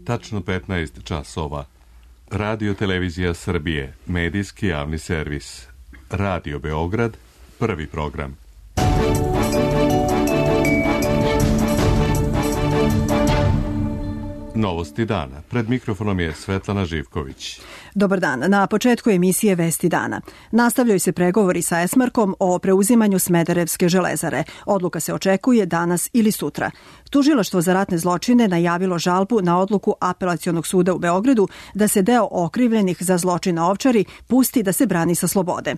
tačno 15 časova. Radio Televizija Srbije, medijski javni servis. Radio Beograd, prvi program. Novosti dana. Pred mikrofonom je Svetlana Živković. Dobar dan. Na početku emisije Vesti dana. Nastavljaju se pregovori sa Esmarkom o preuzimanju Smederevske železare. Odluka se očekuje danas ili sutra. Tužilaštvo za ratne zločine najavilo žalbu na odluku Apelacionog suda u Beogradu da se deo okrivljenih za zločin na Ovčari pusti da se brani sa slobode.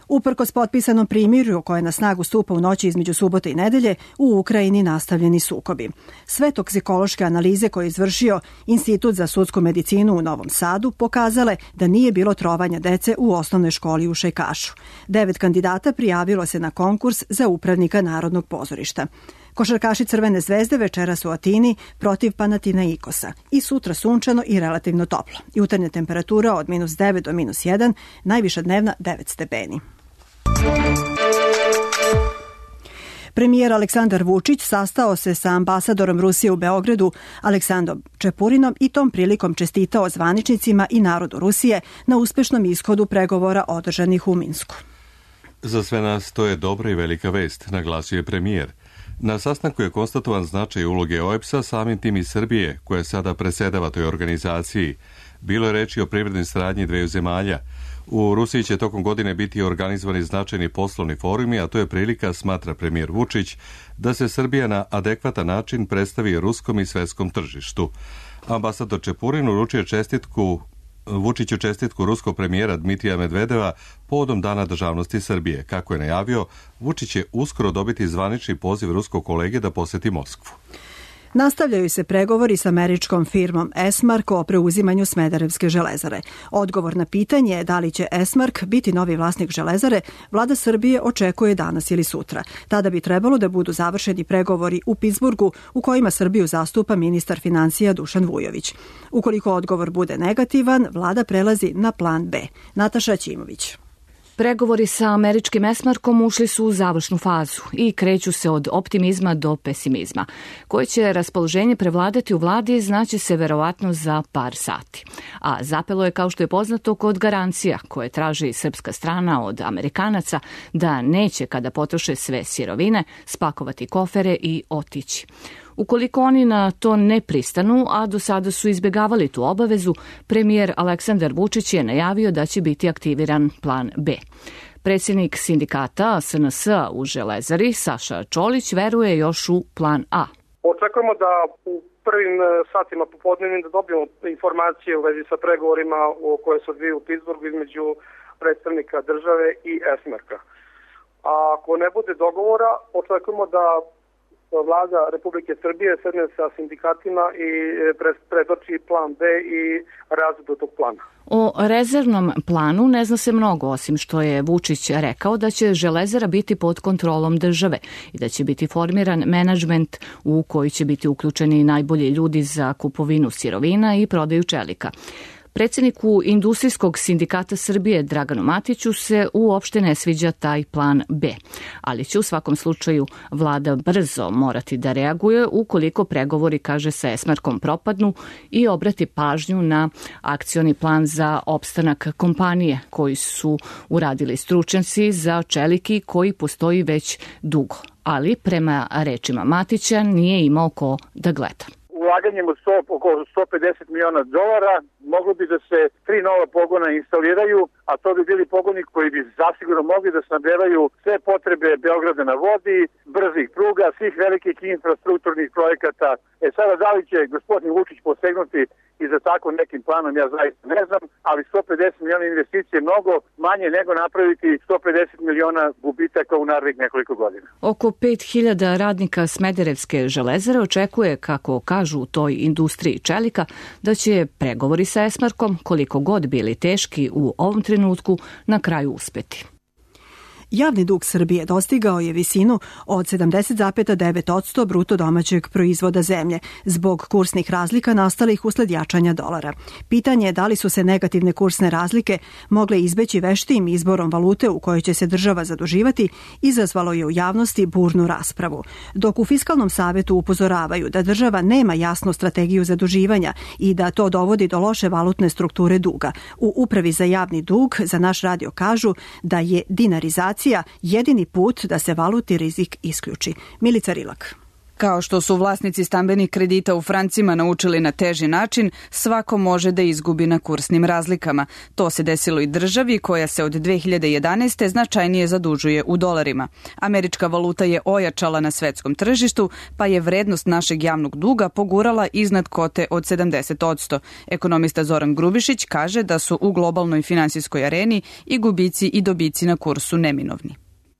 Uprkos potpisanom primirju koje na snagu stupa u noći između subote i nedelje, u Ukrajini nastavljeni sukobi. Sve toksikološke analize koje je izvršio Institut za sudsku medicinu u Novom Sadu pokazale da nije bilo trovanja dece u osnovnoj školi u Šajkašu. 9 kandidata prijavilo se na konkurs za upravnika Narodnog pozorišta. Košarkaši Crvene zvezde večeras u Atini protiv Panathinaikosa i sutra sunčano i relativno toplo. Jutarnja temperatura od -9 do -1, najviša dnevna 9 stepeni. Premijer Aleksandar Vučić sastao se sa ambasadorom Rusije u Beogradu Aleksandrom Čepurinom i tom prilikom čestitao zvaničnicima i narodu Rusije na uspešnom ishodu pregovora održanih u Minsku. Za sve nas to je dobra i velika vest, naglasio je premijer. Na sastanku je konstatovan značaj uloge OEBS-a, samim tim i Srbije, koja sada presedava toj organizaciji. Bilo je reči o privrednoj saradnji dveju zemalja. U Rusiji će tokom godine biti organizovani značajni poslovni forumi, a to je prilika, smatra premijer Vučić, da se Srbija na adekvatan način predstavi ruskom i svetskom tržištu. Ambasador Čepurin uručio Vučiću čestitku ruskog premijera Dmitrija Medvedeva povodom Dana državnosti Srbije. Kako je najavio, Vučić će uskoro dobiti zvanični poziv ruskog kolege da poseti Moskvu. Nastavljaju se pregovori s američkom firmom Esmark o preuzimanju Smederevske železare. Odgovor na pitanje da li će Esmark biti novi vlasnik železare, vlada Srbije očekuje danas ili sutra. Tada bi trebalo da budu završeni pregovori u Pittsburghu u kojima Srbiju zastupa ministar financija Dušan Vujović. Ukoliko odgovor bude negativan, vlada prelazi na plan B. Nataša Ćimović. Pregovori sa američkim Esmarkom ušli su u završnu fazu i kreću se od optimizma do pesimizma. Koje će raspoloženje prevladati u vladi znaće se verovatno za par sati. A zapelo je, kao što je poznato, kod garancija koje traži srpska strana od Amerikanaca da neće, kada potroše sve sirovine, spakovati kofere i otići. Ukoliko oni na to ne pristanu, a do sada su izbjegavali tu obavezu, premijer Aleksandar Vučić je najavio da će biti aktiviran plan B. Predsjednik sindikata SNS u Železari, Saša Čolić, veruje još u plan A. Očekujemo da u prvim satima popodnevnim da dobijemo informacije u vezi sa pregovorima koje se odvijaju u Pittsburghu između predstavnika države i Esmarka. A ako ne bude dogovora, očekujemo da vlada Republike Srbije sedne sa sindikatima i predoči plan B i razradu tog plana. O rezervnom planu ne zna se mnogo, osim što je Vučić rekao da će železara biti pod kontrolom države i da će biti formiran menadžment u koji će biti uključeni najbolji ljudi za kupovinu sirovina i prodaju čelika. Predsjedniku Industrijskog sindikata Srbije Draganu Matiću se uopšte ne sviđa taj plan B, ali će u svakom slučaju vlada brzo morati da reaguje ukoliko pregovori, kaže, sa Esmarkom propadnu i obrati pažnju na akcioni plan za opstanak kompanije koji su uradili stručnjaci za čeliki koji postoji već dugo, ali prema rečima Matića nije imao ko da gleda. Ulaganjem od oko $150 miliona moglo bi da se 3 nova pogona instaliraju, a to bi bili pogoni koji bi zasigurno mogli da snabdevaju sve potrebe Beograda na vodi, brzih pruga, svih velikih infrastrukturnih projekata. Sada da li će gospodin Vučić posegnuti i za tako nekim planom, ja zaista ne znam, ali 150 miliona investicije je mnogo manje nego napraviti 150 miliona gubitaka u narednih nekoliko godina. Oko 5.000 radnika Smederevske železare očekuje, kako kažu u toj industriji čelika, da će pregovori sa Esmarkom, koliko god bili teški u ovom trenutku, na kraju uspeti. Javni dug Srbije dostigao je visinu od 70,9% bruto domaćeg proizvoda zemlje zbog kursnih razlika nastalih usled jačanja dolara. Pitanje je da li su se negativne kursne razlike mogle izbeći veštijim izborom valute u kojoj će se država zaduživati, izazvalo je u javnosti burnu raspravu. Dok u Fiskalnom savetu upozoravaju da država nema jasnu strategiju zaduživanja i da to dovodi do loše valutne strukture duga, u Upravi za javni dug za naš radio kažu da je dinarizacija jedini put da se valutni rizik isključi. Milica Rilak. Kao što su vlasnici stambenih kredita u francima naučili na teži način, svako može da izgubi na kursnim razlikama. To se desilo i državi koja se od 2011. značajnije zadužuje u dolarima. Američka valuta je ojačala na svetskom tržištu, pa je vrednost našeg javnog duga pogurala iznad kote od 70%. Ekonomista Zoran Grubišić kaže da su u globalnoj finansijskoj areni i gubici i dobici na kursu neminovni.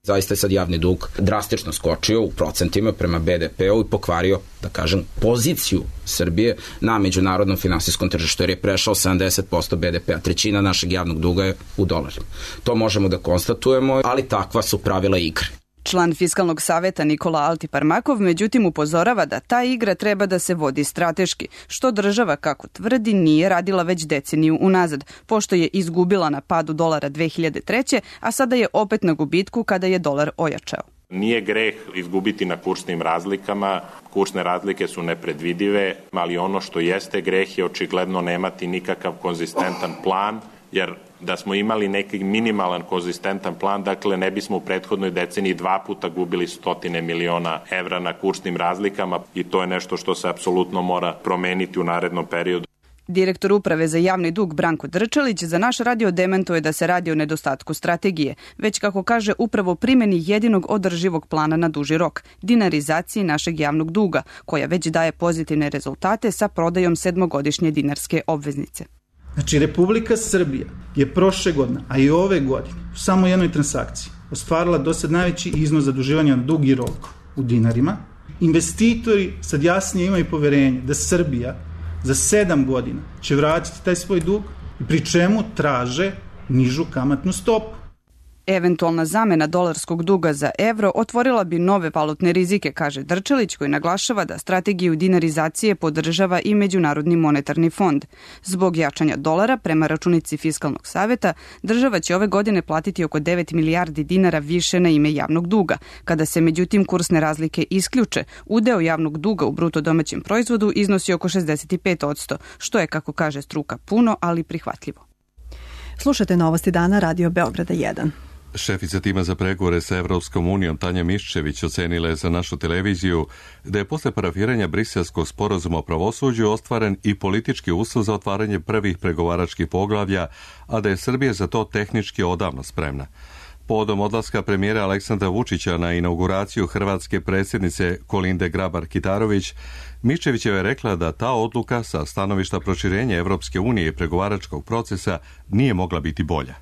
Zaista je sad javni dug drastično skočio u procentima prema BDP-u i pokvario, da kažem, poziciju Srbije na međunarodnom finansijskom tržištu, jer je prešao 70% BDP-a, trećina našeg javnog duga je u dolarima. To možemo da konstatujemo, ali takva su pravila igre. Član Fiskalnog saveta Nikola Altiparmakov međutim upozorava da ta igra treba da se vodi strateški, što država, kako tvrdi, nije radila već deceniju unazad, pošto je izgubila na padu dolara 2003. a sada je opet na gubitku kada je dolar ojačao. Nije greh izgubiti na kursnim razlikama, kursne razlike su nepredvidive, ali ono što jeste greh je očigledno nemati nikakav konzistentan plan, jer da smo imali neki minimalan konzistentan plan, dakle ne bismo u prethodnoj deceniji 2 puta gubili 100 miliona evra na kursnim razlikama i to je nešto što se apsolutno mora promeniti u narednom periodu. Direktor Uprave za javni dug Branko Drčelić za naš radio dementuje da se radi o nedostatku strategije, već kako kaže upravo primjeni jedinog održivog plana na duži rok, dinarizaciji našeg javnog duga, koja već daje pozitivne rezultate sa prodajom 7-godišnje dinarske obveznice. Znači, Republika Srbija je prošle godine, a i ove godine, u samo jednoj transakciji ostvarila do sad najveći iznos zaduživanja na dugi rok u dinarima. Investitori sad jasnije imaju poverenje da Srbija za 7 godina će vratiti taj svoj dug i pri čemu traže nižu kamatnu stopu. Eventualna zamena dolarskog duga za evro otvorila bi nove valutne rizike, kaže Drčelić, koji naglašava da strategiju dinarizacije podržava i Međunarodni monetarni fond. Zbog jačanja dolara, prema računici Fiskalnog saveta, država će ove godine platiti oko 9 milijardi dinara više na ime javnog duga. Kada se međutim kursne razlike isključe, udeo javnog duga u bruto domaćem proizvodu iznosi oko 65%, što je, kako kaže struka, puno, ali prihvatljivo. Slušate Novosti dana Radio Beograda 1. Šefica tima za pregovore sa Evropskom unijom Tanja Miščević ocenila je za našu televiziju da je posle parafiranja Briselskog sporazuma o pravosuđu ostvaren i politički uslov za otvaranje prvih pregovaračkih poglavlja, a da je Srbija za to tehnički odavno spremna. Povodom odlaska premijera Aleksandra Vučića na inauguraciju hrvatske predsjednice Kolinde Grabar-Kitarović, Miščevićeva je rekla da ta odluka sa stanovišta proširenja Evropske unije i pregovaračkog procesa nije mogla biti bolja.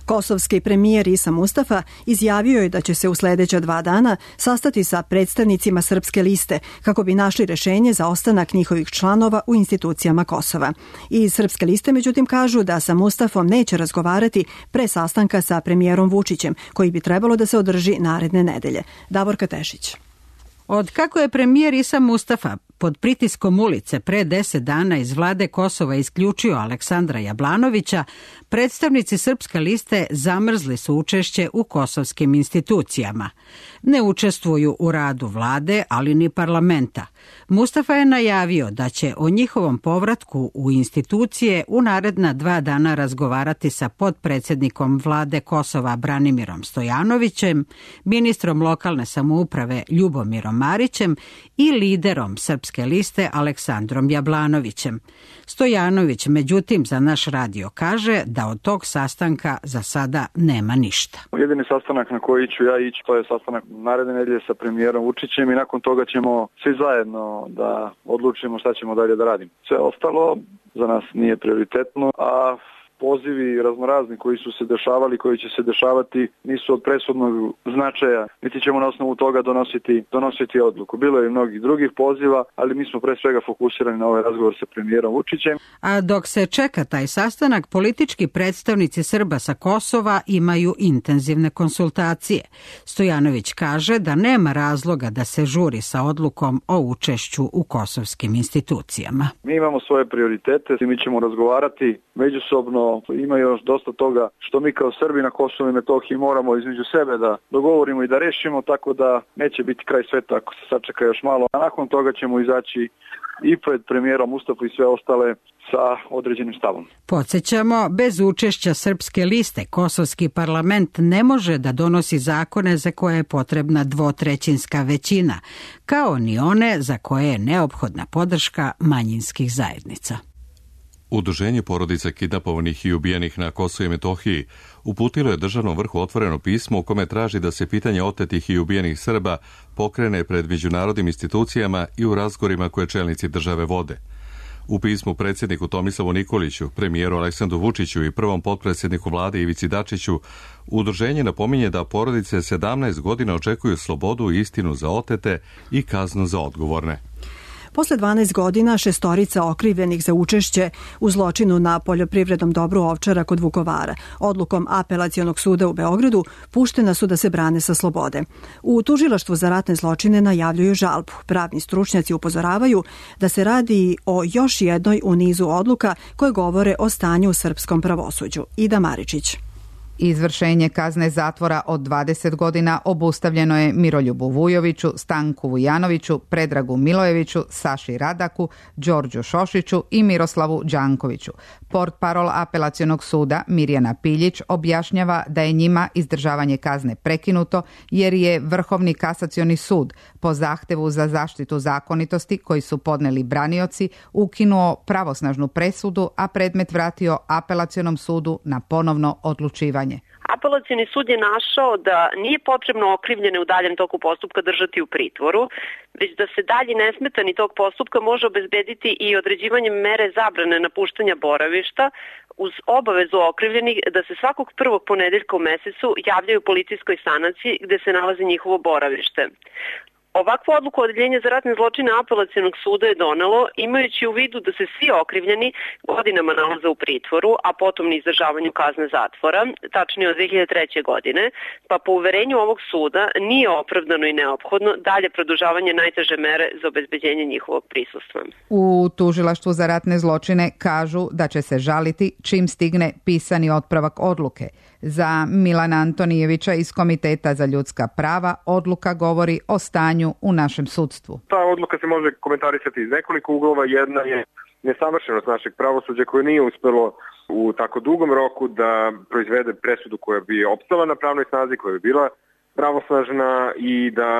Kosovski premijer Isa Mustafa izjavio je da će se u sljedeća 2 dana sastati sa predstavnicima Srpske liste kako bi našli rešenje za ostanak njihovih članova u institucijama Kosova. Iz Srpske liste međutim kažu da sa Mustafom neće razgovarati pre sastanka sa premijerom Vučićem, koji bi trebalo da se održi naredne nedelje. Davorka Tešić. Od kako je premijer Isa Mustafa pod pritiskom ulice pre 10 dana iz vlade Kosova isključio Aleksandra Jablanovića, predstavnici Srpske liste zamrzli su učešće u kosovskim institucijama. Ne učestvuju u radu vlade, ali ni parlamenta. Mustafa je najavio da će o njihovom povratku u institucije u naredna 2 dana razgovarati sa potpredsjednikom vlade Kosova Branimirom Stojanovićem, ministrom lokalne samouprave Ljubomirom Marićem i liderom Srpske liste Aleksandrom Jablanovićem. Stojanović, međutim, za naš radio kaže da od tog sastanka za sada nema ništa. Jedini sastanak na koji ću ja ići, to je sastanak naredne nedelje sa premijerom Vučićem i nakon toga ćemo svi zajedno da odlučimo šta ćemo dalje da radimo. Sve ostalo za nas nije prioritetno, a pozivi raznorazni koji su se dešavali, koji će se dešavati, nisu od presudnog značaja, niti ćemo na osnovu toga donositi odluku. Bilo je i mnogih drugih poziva, ali mi smo pre svega fokusirani na ovaj razgovor sa premijerom Vučićem. A dok se čeka taj sastanak, politički predstavnici Srba sa Kosova imaju intenzivne konsultacije. Stojanović kaže da nema razloga da se žuri sa odlukom o učešću u kosovskim institucijama. Mi imamo svoje prioritete i mi ćemo razgovarati međusobno. Ima još dosta toga što mi kao Srbi na Kosovu i Metohiji moramo između sebe da dogovorimo i da rešimo, tako da neće biti kraj sveta ako se sačeka još malo. A nakon toga ćemo izaći i pred premijerom Mustafa i sve ostale sa određenim stavom. Podsjećamo, bez učešća Srpske liste kosovski parlament ne može da donosi zakone za koje je potrebna dvotrećinska većina, kao ni one za koje je neophodna podrška manjinskih zajednica. Udruženje porodica kidnapovanih i ubijenih na Kosovu i Metohiji uputilo je državnom vrhu otvoreno pismo u kome traži da se pitanje otetih i ubijenih Srba pokrene pred međunarodnim institucijama i u razgovorima koje čelnici države vode. U pismu predsjedniku Tomislavu Nikoliću, premijeru Aleksandru Vučiću i prvom potpredsjedniku vlade Ivici Dačiću, udruženje napominje da porodice 17 godina očekuju slobodu i istinu za otete i kaznu za odgovorne. Posle 12 godina šestorica okrivljenih za učešće u zločinu na poljoprivrednom dobru Ovčara kod Vukovara odlukom Apelacionog suda u Beogradu puštena su da se brane sa slobode. U tužilaštvu za ratne zločine najavljuju žalbu. Pravni stručnjaci upozoravaju da se radi o još jednoj u nizu odluka koje govore o stanju u srpskom pravosuđu. Ida Maričić. Izvršenje kazne zatvora od 20 godina obustavljeno je Miroljubu Vujoviću, Stanku Vujanoviću, Predragu Milojeviću, Saši Radaku, Đorđu Šošiću i Miroslavu Đankoviću. Portparol Apelacionog suda Mirjana Piljić objašnjava da je njima izdržavanje kazne prekinuto jer je Vrhovni kasacioni sud po zahtevu za zaštitu zakonitosti koji su podneli branioci ukinuo pravosnažnu presudu, a predmet vratio Apelacionom sudu na ponovno odlučivanje. Apelacioni sud je našao da nije potrebno okrivljene u daljem toku postupka držati u pritvoru, već da se dalji nesmetani tog postupka može obezbediti i određivanjem mere zabrane napuštanja boravišta uz obavezu okrivljenih da se svakog prvog ponedeljka u mesecu javljaju policijskoj stanici gde se nalazi njihovo boravište. Ovakvu odluku Odeljenja za ratne zločine Apelacionog suda je donelo imajući u vidu da se svi okrivljeni godinama nalaze u pritvoru, a potom na izdržavanju kazne zatvora, tačnije od 2003. godine, pa po uverenju ovog suda nije opravdano i neophodno dalje produžavanje najteže mere za obezbeđenje njihovog prisustva. U tužilaštvu za ratne zločine kažu da će se žaliti čim stigne pisani otpravak odluke. Za Milana Antonijevića iz Komiteta za ljudska prava odluka govori o stanju u našem sudstvu. Ta odluka se može komentarisati iz nekoliko uglova. Jedna je nesavršenost našeg pravosuđa koje nije uspelo u tako dugom roku da proizvede presudu koja bi opstala na pravnoj snazi, koja bi bila pravosnažna i da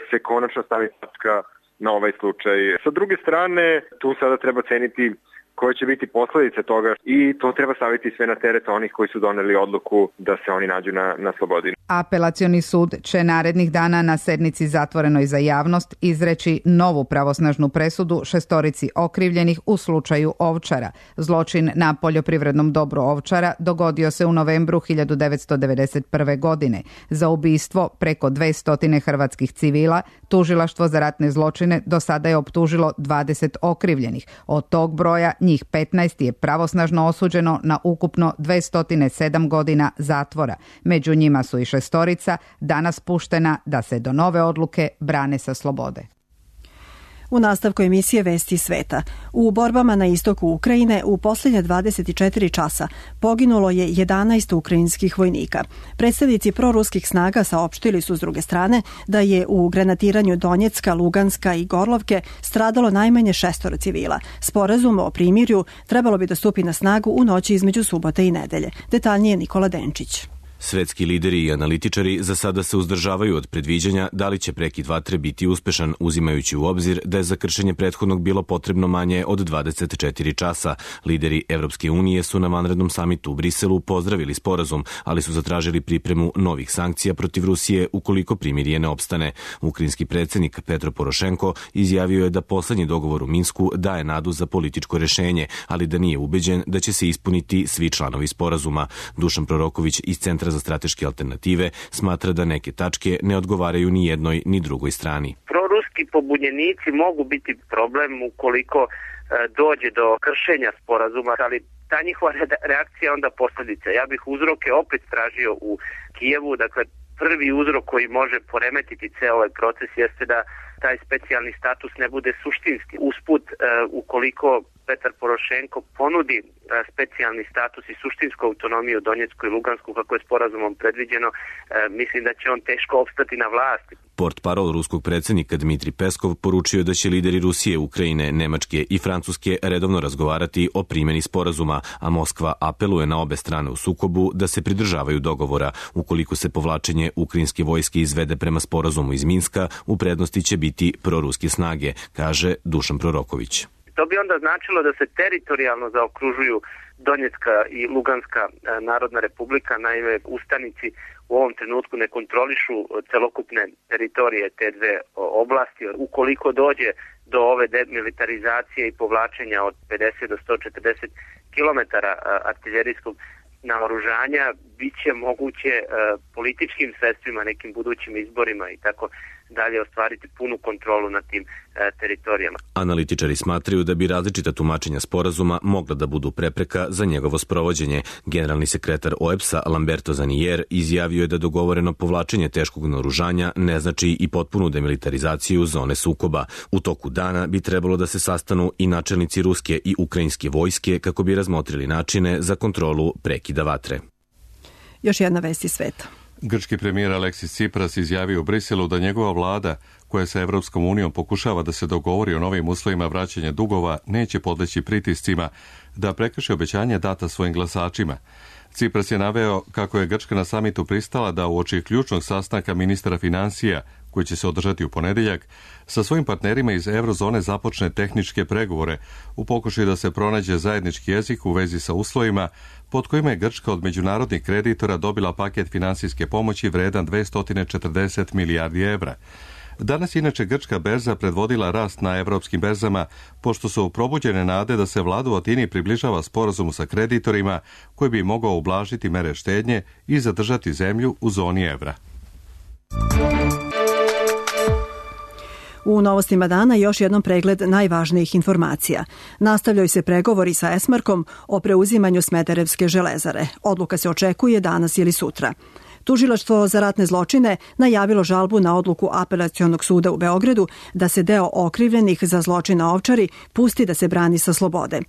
se konačno stavi tačka na ovaj slučaj. Sa druge strane, tu sada treba ceniti koje će biti posledice toga i to treba staviti sve na teret onih koji su doneli odluku da se oni nađu na slobodi. Apelacioni sud će narednih dana na sednici zatvorenoj za javnost izreći novu pravosnažnu presudu šestorici okrivljenih u slučaju Ovčara. Zločin na poljoprivrednom dobru Ovčara dogodio se u novembru 1991. godine. Za ubistvo preko 200 hrvatskih civila tužilaštvo za ratne zločine do sada je optužilo 20 okrivljenih. Od tog broja njih 15 je pravosnažno osuđeno na ukupno 207 godina zatvora. Među njima su i šestorica danas puštena da se do nove odluke brane sa slobode. U nastavku emisije Vesti sveta. U borbama na istoku Ukrajine u posljednje 24 časa poginulo je 11 ukrajinskih vojnika. Predstavnici proruskih snaga saopštili su s druge strane da je u granatiranju Donjecka, Luganska i Gorlovke stradalo najmanje 6 civila. Sporazum o primirju trebalo bi da stupi na snagu u noći između subote i nedelje. Detaljnije Nikola Denčić. Svetski lideri i analitičari za sada se uzdržavaju od predviđanja da li će prekid vatre biti uspešan, uzimajući u obzir da je za kršenje prethodnog bilo potrebno manje od 24 časa. Lideri Evropske unije su na vanrednom samitu u Briselu pozdravili sporazum, ali su zatražili pripremu novih sankcija protiv Rusije ukoliko primirje ne opstane. Ukrajinski predsjednik Petro Porošenko izjavio je da poslednji dogovor u Minsku daje nadu za političko rešenje, ali da nije ubeđen da će se ispuniti svi članovi sporazuma. Dušan Proroković iz Centra za strateške alternative smatra da neke tačke ne odgovaraju ni jednoj ni drugoj strani. Proruski pobunjenici mogu biti problem ukoliko dođe do kršenja sporazuma, ali ta njihova reakcija onda posljedica. Ja bih uzroke opet tražio u Kijevu, dakle prvi uzrok koji može poremetiti ceo ovaj proces jeste da taj specijalni status ne bude suštinski. Usput, ukoliko Petar Porošenko ponudi specijalni status i suštinsku autonomiju Donjecku i Lugansku kako je sporazumom predviđeno, mislim da će on teško opstati na vlasti. Portparol ruskog predsjednika Dmitri Peskov poručio da će lideri Rusije, Ukrajine, Nemačke i Francuske redovno razgovarati o primjeni sporazuma, a Moskva apeluje na obe strane u sukobu da se pridržavaju dogovora. Ukoliko se povlačenje ukrajinske vojske izvede prema sporazumu iz Minska, u prednosti će biti proruske snage, kaže Dušan Proroković. To bi onda značilo da se teritorijalno zaokružuju Donjecka i Luganska narodna republika, naime ustanici u ovom trenutku ne kontrolišu celokupne teritorije te dve oblasti. Ukoliko dođe do ove demilitarizacije i povlačenja od 50 do 140 km artiljerijskog naoružanja, bit će moguće političkim sredstvima, nekim budućim izborima i tako dalje ostvariti punu kontrolu nad tim teritorijama. Analitičari smatraju da bi različita tumačenja sporazuma mogla da budu prepreka za njegovo sprovođenje. Generalni sekretar OEBS-a Lamberto Zanier izjavio je da dogovoreno povlačenje teškog naoružanja ne znači i potpunu demilitarizaciju zone sukoba. U toku dana bi trebalo da se sastanu i načelnici ruske i ukrajinske vojske kako bi razmotrili načine za kontrolu prekida vatre. Još jedna vest iz sveta. Grčki premijer Aleksis Tsipras izjavio u Briselu da njegova vlada, koja sa Evropskom unijom pokušava da se dogovori o novim uslovima vraćanja dugova, neće podleći pritiscima da prekrši obećanje data svojim glasačima. Tsipras je naveo kako je Grčka na samitu pristala da uoči ključnog sastanka ministara finansija, koji će se održati u ponedeljak, sa svojim partnerima iz eurozone započne tehničke pregovore u pokušaju da se pronađe zajednički jezik u vezi sa uslovima pod kojima je Grčka od međunarodnih kreditora dobila paket finansijske pomoći vredan 240 milijardi evra. Danas inače Grčka berza predvodila rast na evropskim berzama, pošto su probuđene nade da se vlada u Atini približava sporazumu sa kreditorima koji bi mogao ublažiti mere štednje i zadržati zemlju u zoni evra. U novostima dana još jednom pregled najvažnijih informacija. Nastavljaju se pregovori sa Esmarkom o preuzimanju Smederevske železare. Odluka se očekuje danas ili sutra. Tužilaštvo za ratne zločine najavilo žalbu na odluku Apelacionog suda u Beogradu da se deo okrivljenih za zločin na Ovčari pusti da se brani sa slobode.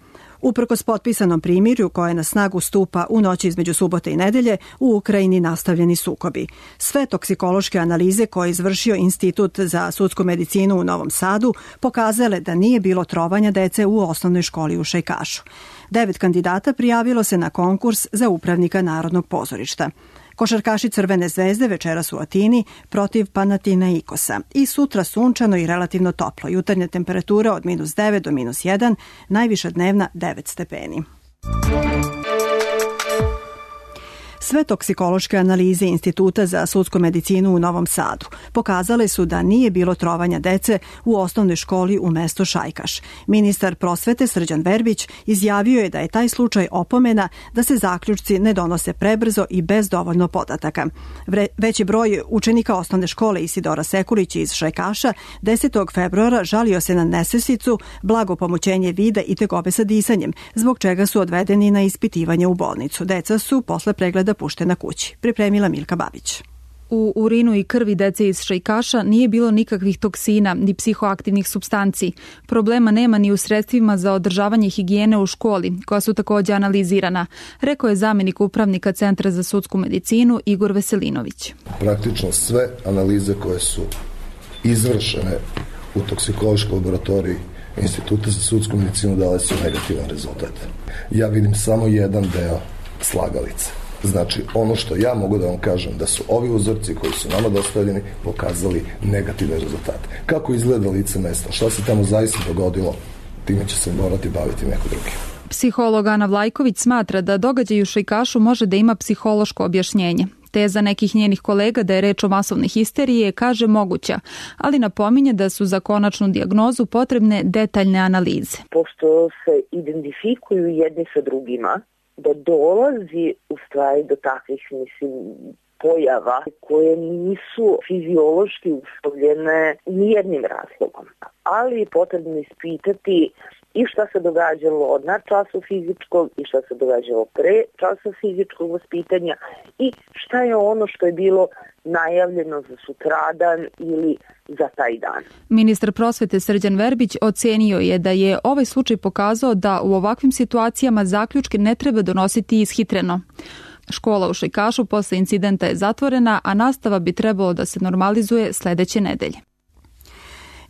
Uprkos potpisanom primirju koje na snagu stupa u noći između subote i nedelje, u Ukrajini nastavljeni sukobi. Sve toksikološke analize koje je izvršio Institut za sudsku medicinu u Novom Sadu pokazale da nije bilo trovanja dece u osnovnoj školi u Šajkašu. 9 kandidata prijavilo se na konkurs za upravnika Narodnog pozorišta. Košarkaši Crvene zvezde večeras u Atini protiv Panathinaikosa i sutra sunčano i relativno toplo. Jutarnja temperatura od -9 do -1, najviša dnevna 9 stepeni. Sve toksikološke analize Instituta za sudsku medicinu u Novom Sadu pokazale su da nije bilo trovanja dece u osnovnoj školi u mestu Šajkaš. Ministar prosvete Srđan Verbić izjavio je da je taj slučaj opomena da se zaključci ne donose prebrzo i bez dovoljno podataka. Veći broj učenika osnovne škole Isidora Sekulić iz Šajkaša 10. februara žalio se na nesvesticu, blago pomućenje vida i tegobe sa disanjem, zbog čega su odvedeni na ispitivanje u bolnicu. Deca su posle pregleda puštena kući. Pripremila Milka Babić. U urinu i krvi dece iz Šajkaša nije bilo nikakvih toksina ni psihoaktivnih supstanci. Problema nema ni u sredstvima za održavanje higijene u školi, koja su također analizirana, rekao je zamjenik upravnika Centra za sudsku medicinu Igor Veselinović. Praktično sve analize koje su izvršene u toksikološkoj laboratoriji Instituta za sudsku medicinu dale su negativan rezultat. Ja vidim samo jedan deo slagalice. Znači, ono što ja mogu da vam kažem, da su ovi uzorci koji su nama dostavljeni pokazali negativne rezultate. Kako izgleda lice mesta, šta se tamo zaista dogodilo, time će se morati baviti neko drugi. Psiholog Ana Vlajković smatra da događaj u Šajkašu može da ima psihološko objašnjenje. Teza nekih njenih kolega da je reč o masovnoj histeriji je, kaže, moguća, ali napominje da su za konačnu dijagnozu potrebne detaljne analize. Pošto se identifikuju jedni sa drugima, da dolazi u stvari do takvih, pojava koje nisu fiziološki uslovljene nijednim razlogom. Ali je potrebno ispitati i šta se događalo na času fizičkog i šta se događalo pre časa fizičkog vaspitanja i šta je ono što je bilo najavljeno za sutradan ili za taj dan. Ministar prosvete Srđan Verbić ocenio je da je ovaj slučaj pokazao da u ovakvim situacijama zaključke ne treba donositi ishitreno. Škola u Šajkašu posle incidenta je zatvorena, a nastava bi trebalo da se normalizuje sledeće nedelje.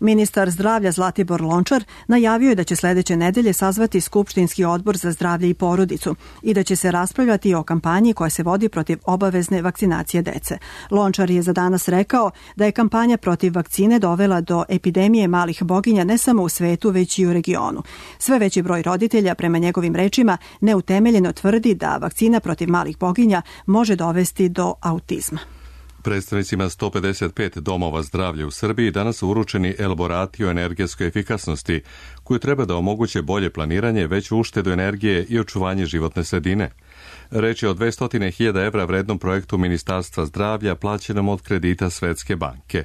Ministar zdravlja Zlatibor Lončar najavio je da će sledeće nedelje sazvati Skupštinski odbor za zdravlje i porodicu i da će se raspravljati o kampanji koja se vodi protiv obavezne vakcinacije dece. Lončar je za danas rekao da je kampanja protiv vakcine dovela do epidemije malih boginja ne samo u svetu, već i u regionu. Sve veći broj roditelja, prema njegovim rečima, neutemeljeno tvrdi da vakcina protiv malih boginja može dovesti do autizma. Predstavnicima 155 domova zdravlja u Srbiji danas su uručeni elaborati o energetskoj efikasnosti, koji treba da omoguće bolje planiranje, veću uštedu energije i očuvanje životne sredine. Reč je o 200.000 evra vrednom projektu Ministarstva zdravlja plaćenom od kredita Svetske banke.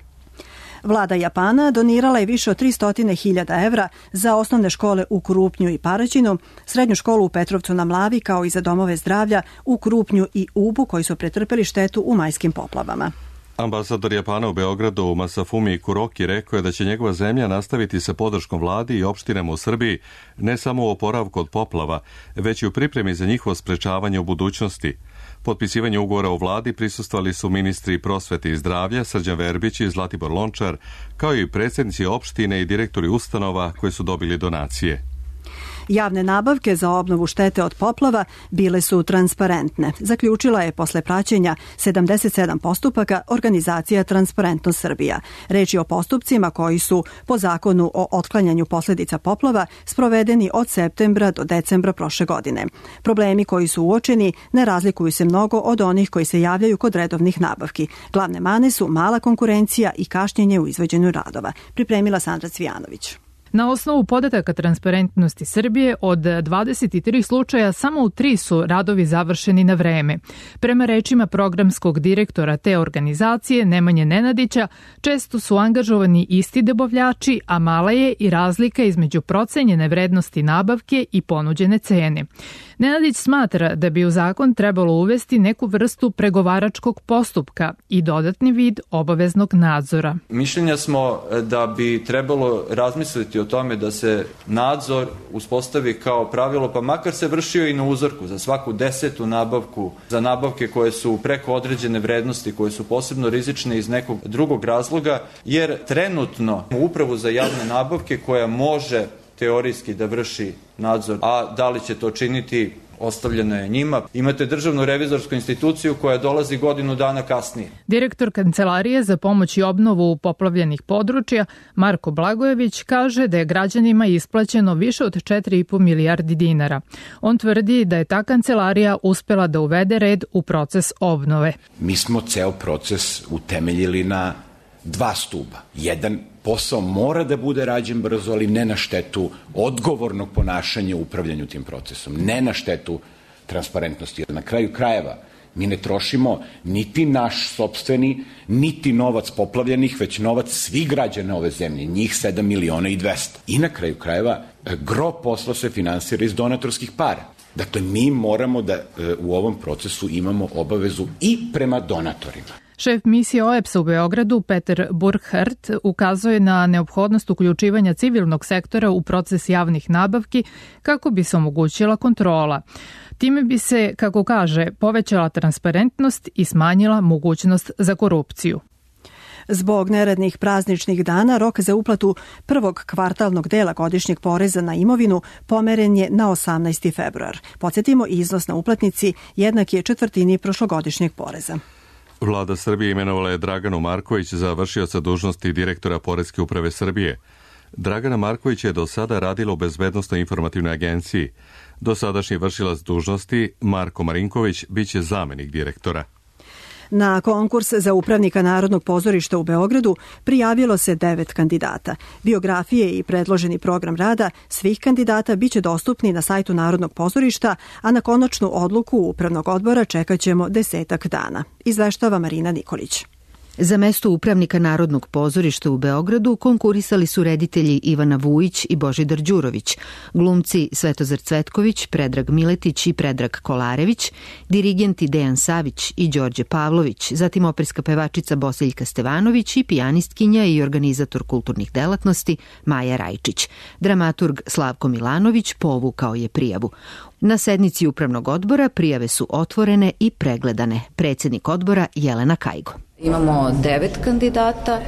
Vlada Japana donirala je više od 300.000 evra za osnovne škole u Krupnju i Paraćinu, srednju školu u Petrovcu na Mlavi, kao i za domove zdravlja u Krupnju i Ubu, koji su pretrpeli štetu u majskim poplavama. Ambasador Japana u Beogradu Masafumi Kuroki rekao je da će njegova zemlja nastaviti sa podrškom vladi i opštinama u Srbiji ne samo u oporavku od poplava, već i u pripremi za njihovo sprečavanje u budućnosti. Potpisivanje ugovora o vladi prisustvovali su ministri prosvete i zdravlja Srđan Verbić i Zlatibor Lončar, kao i predsjednici opštine i direktori ustanova koji su dobili donacije. Javne nabavke za obnovu štete od poplava bile su transparentne. Zaključila je posle praćenja 77 postupaka organizacija Transparentnost Srbija. Reč je o postupcima koji su po zakonu o otklanjanju posljedica poplava sprovedeni od septembra do decembra prošle godine. Problemi koji su uočeni ne razlikuju se mnogo od onih koji se javljaju kod redovnih nabavki. Glavne mane su mala konkurencija i kašnjenje u izvođenju radova. Pripremila Sandra Cvijanović. Na osnovu podataka Transparentnosti Srbije, od 23 slučaja samo u 3 su radovi završeni na vreme. Prema rečima programskog direktora te organizacije, Nemanje Nenadića, često su angažovani isti dobavljači, a mala je i razlika između procenjene vrednosti nabavke i ponuđene cene. Nenadić smatra da bi u zakon trebalo uvesti neku vrstu pregovaračkog postupka i dodatni vid obaveznog nadzora. Mišljenja smo da bi trebalo razmisliti o tome da se nadzor uspostavi kao pravilo, pa makar se vršio i na uzorku za svaku 10. nabavku, za nabavke koje su preko određene vrednosti, koje su posebno rizične iz nekog drugog razloga, jer trenutno upravu za javne nabavke koja može teorijski da vrši nadzor, a da li će to činiti, ostavljeno je njima. Imate državnu revizorsku instituciju koja dolazi godinu dana kasnije. Direktor Kancelarije za pomoć i obnovu poplavljenih područja, Marko Blagojević, kaže da je građanima isplaćeno više od 4,5 milijardi dinara. On tvrdi da je ta kancelarija uspela da uvede red u proces obnove. Mi smo ceo proces utemeljili na 2 stuba. Jedan, posao mora da bude rađen brzo, ali ne na štetu odgovornog ponašanja u upravljanju tim procesom, ne na štetu transparentnosti. Na kraju krajeva, mi ne trošimo niti naš sopstveni, niti novac poplavljenih, već novac svih građana ove zemlje, njih 7.200.000. I na kraju krajeva, gro posla se finansira iz donatorskih para. Dakle, mi moramo da u ovom procesu imamo obavezu i prema donatorima. Šef misije OEBS-a u Beogradu, Peter Burkhardt, ukazuje na neophodnost uključivanja civilnog sektora u proces javnih nabavki kako bi se omogućila kontrola. Time bi se, kako kaže, povećala transparentnost i smanjila mogućnost za korupciju. Zbog neradnih prazničnih dana, rok za uplatu prvog kvartalnog dela godišnjeg poreza na imovinu pomeren je na 18. februar. Podsjetimo, iznos na uplatnici jednak je četvrtini prošlogodišnjeg poreza. Vlada Srbije imenovala je Draganu Marković za vršioca dužnosti direktora Poreske uprave Srbije. Dragana Marković je do sada radila u Bezbednosnoj informativnoj agenciji. Dosadašnji vršilac dužnosti, Marko Marinković, biće zamenik direktora. Na konkurs za upravnika Narodnog pozorišta u Beogradu prijavilo se 9 kandidata. Biografije i predloženi program rada svih kandidata biće dostupni na sajtu Narodnog pozorišta, a na konačnu odluku Upravnog odbora čekaćemo 10 dana. Izveštava Marina Nikolić. Za mesto upravnika Narodnog pozorišta u Beogradu konkurisali su reditelji Ivana Vujić i Božidar Đurović, glumci Svetozar Cvetković, Predrag Miletić i Predrag Kolarević, dirigenti Dejan Savić i Đorđe Pavlović, zatim operska pevačica Bosiljka Stevanović i pijanistkinja i organizator kulturnih delatnosti Maja Rajčić. Dramaturg Slavko Milanović povukao je prijavu. Na sednici Upravnog odbora prijave su otvorene i pregledane. Predsjednik odbora Jelena Kajgo. Imamo 9 kandidata.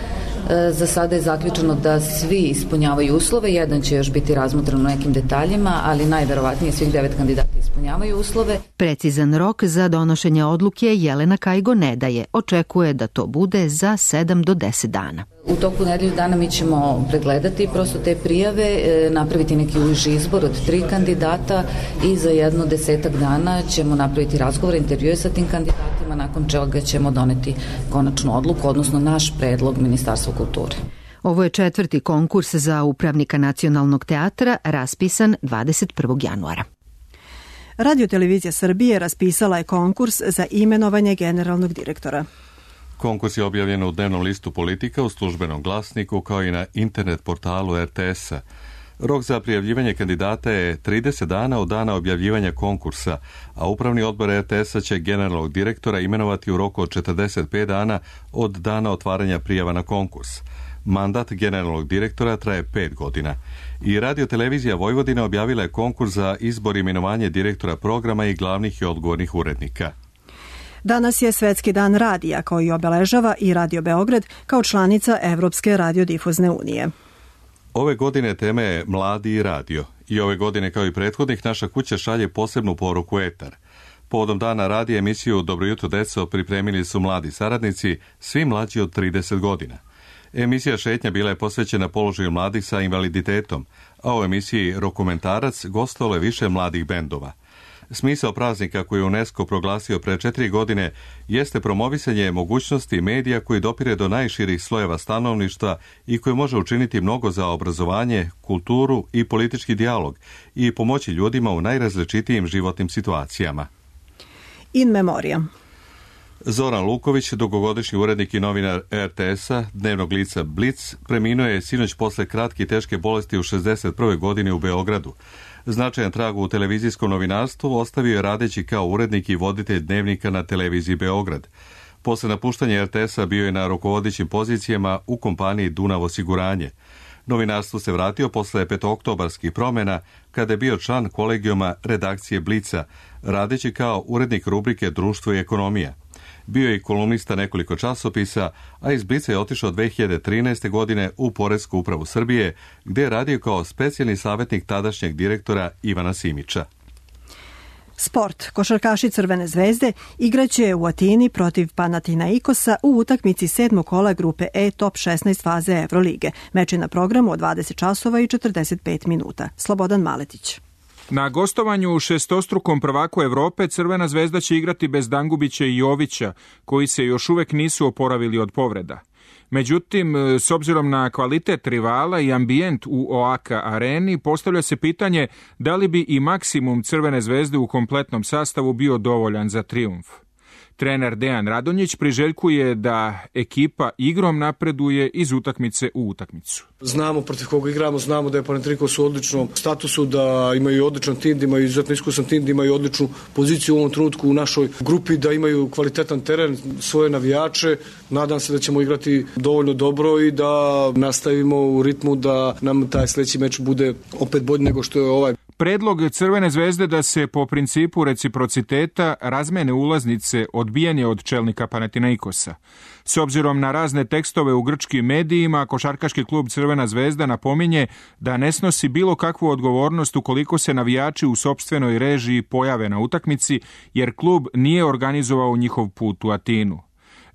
Za sada je zaključeno da svi ispunjavaju uslove. Jedan će još biti razmotren u nekim detaljima, ali najverovatnije svih 9 kandidata ispunjavaju uslove. Precizan rok za donošenje odluke Jelena Kajgo ne daje. Očekuje da to bude za 7 do 10 dana. U toku nedelju dana mi ćemo pregledati prosto te prijave, napraviti neki uži izbor od 3 kandidata i za jedno 10 dana ćemo napraviti razgovor, intervjue sa tim kandidatima, nakon čega ćemo doneti konačnu odluku, odnosno naš predlog Ministarstva kulture. Ovo je 4. konkurs za upravnika Nacionalnog teatra, raspisan 21. januara. Radio-televizija Srbije raspisala je konkurs za imenovanje generalnog direktora. Konkurs je objavljen u dnevnom listu Politika, u službenom glasniku, kao i na internet portalu RTS-a. Rok za prijavljivanje kandidata je 30 dana od dana objavljivanja konkursa, a Upravni odbor RTS-a će generalnog direktora imenovati u roku od 45 dana od dana otvaranja prijava na konkurs. Mandat generalnog direktora traje 5 godina. I Radio-televizija Vojvodine objavila je konkurs za izbor i imenovanje direktora programa i glavnih i odgovornih urednika. Danas je Svetski dan radija, koji obeležava i Radio Beograd kao članica Evropske radiodifuzne unije. Ove godine tema je Mladi i radio. I ove godine, kao i prethodnih, naša kuća šalje posebnu poruku etar. Povodom dana radija emisiju Dobro jutro deco pripremili su mladi saradnici, svi mlađi od 30 godina. Emisija Šetnja bila je posvećena položaju mladih sa invaliditetom, a u emisiji Rokomentarac gostovalo je više mladih bendova. Smisao praznika koji je UNESCO proglasio pre 4 godine jeste promovisanje mogućnosti medija koji dopire do najširih slojeva stanovništva i koji može učiniti mnogo za obrazovanje, kulturu i politički dijalog i pomoći ljudima u najrazličitijim životnim situacijama. In memoriam. Zoran Luković, dugogodišnji urednik i novinar RTS-a, dnevnog lica Blic, preminuo je sinoć posle kratke i teške bolesti u 61. godini u Beogradu. Značajan trag u televizijskom novinarstvu ostavio je radeći kao urednik i voditelj dnevnika na televiziji Beograd. Posle napuštanja RTS-a bio je na rukovodećim pozicijama u kompaniji Dunav osiguranje. Novinarstvu se vratio posle petooktobarskih promjena, kada je bio član kolegijuma redakcije Blica, radeći kao urednik rubrike Društvo i ekonomija. Bio je i kolumnista nekoliko časopisa, a iz Blica je otišao 2013. godine u Poresku upravu Srbije, gdje je radio kao specijalni savjetnik tadašnjeg direktora Ivana Simića. Sport. Košarkaši Crvene zvezde igraće u Atini protiv Panathinaikosa u utakmici 7. kola grupe E top 16 faze Evrolige. Meč je na programu od 20 časova i 45 minuta. Slobodan Maletić. Na gostovanju u šestostrukom prvaku Evrope Crvena zvezda će igrati bez Dangubića i Jovića, koji se još uvek nisu oporavili od povreda. Međutim, s obzirom na kvalitet rivala i ambijent u OAKA areni, postavlja se pitanje da li bi i maksimum Crvene zvezde u kompletnom sastavu bio dovoljan za trijumf. Trener Dejan Radonjić priželjkuje da ekipa igrom napreduje iz utakmice u utakmicu. Znamo protiv koga igramo, znamo da je Panathinaikos u odličnom statusu, da imaju odličan tim, da imaju izuzetno iskusan tim, da imaju odličnu poziciju u ovom trenutku u našoj grupi, da imaju kvalitetan teren, svoje navijače. Nadam se da ćemo igrati dovoljno dobro i da nastavimo u ritmu da nam taj sljedeći meč bude opet bolji nego što je ovaj. Predlog Crvene zvezde da se po principu reciprociteta razmene ulaznice odbijen je od čelnika Panathinaikosa. S obzirom na razne tekstove u grčkim medijima, košarkaški klub Crvena zvezda napominje da ne snosi bilo kakvu odgovornost ukoliko se navijači u sopstvenoj režiji pojave na utakmici, jer klub nije organizovao njihov put u Atinu.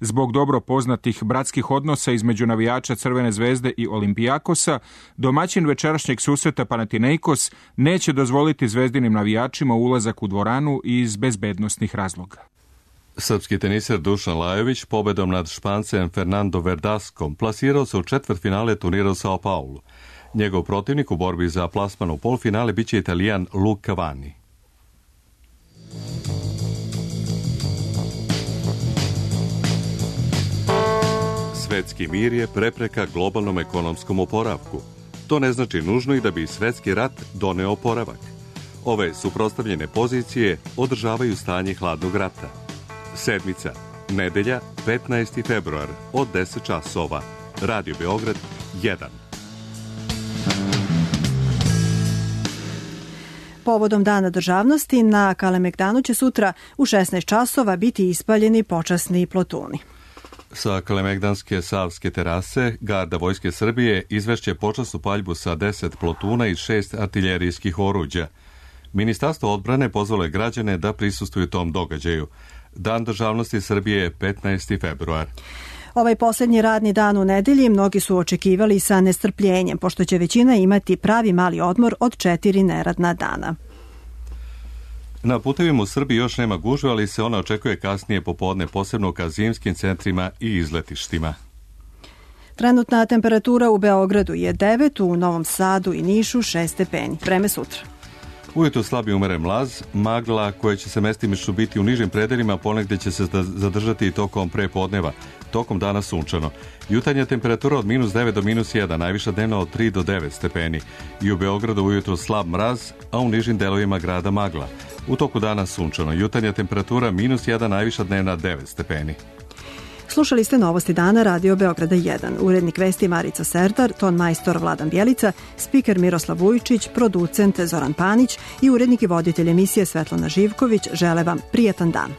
Zbog dobro poznatih bratskih odnosa između navijača Crvene zvezde i Olimpijakosa, domaćin večerašnjeg susreta Panathinaikos neće dozvoliti zvezdinim navijačima ulazak u dvoranu iz bezbednosnih razloga. Srpski teniser Dušan Lajović pobedom nad Špancem Fernando Verdaskom plasirao se u četvrtfinale turnira u Sao Paulu. Njegov protivnik u borbi za plasman u polfinale biće Italijan Luca Vanni. Svetski mir je prepreka globalnom ekonomskom oporavku. To ne znači nužno i da bi svetski rat doneo oporavak. Ove suprotstavljene pozicije održavaju stanje hladnog rata. Sedmica, nedelja, 15. februar, od 10 časova. Radio Beograd 1. Povodom Dana državnosti na Kalemegdanu će sutra u 16 časova biti ispaljeni počasni plotuni. Sa Kalemegdanske Savske terase garda Vojske Srbije izvešće počasnu paljbu sa 10 plotuna i 6 artiljerijskih oruđa. Ministarstvo odbrane pozvalo je građane da prisustvuju tom događaju. Dan državnosti Srbije je 15. februar. Ovaj posljednji radni dan u nedelji mnogi su očekivali sa nestrpljenjem, pošto će većina imati pravi mali odmor od 4 neradna dana. Na putevima u Srbiji još nema gužve, ali se ona očekuje kasnije popodne, posebno ka zimskim centrima i izletištima. Trenutna temperatura u Beogradu je 9, u Novom Sadu i Nišu 6 stepeni. Vreme sutra. Ujutro slabi umeren mlaz, magla koja će se mestimično biti u nižim predelima, ponegde će se zadržati i tokom prepodneva. Tokom dana sunčano. Jutarnja temperatura od -9 do -1, najviša dnevna od 3 do 9 stepeni. I u Beogradu ujutro slab mraz, a u nižim delovima grada magla. U toku dana sunčano. Jutarnja temperatura -1, najviša dnevna 9 stepeni. Slušali ste Novosti dana Radio Beograda 1. Urednik vesti Marica Serdar, ton majstor Vladan Bjelica, spiker Miroslav Vujčić, producent Zoran Panić i urednik i voditelj emisije Svetlana Živković žele vam prijatan dan.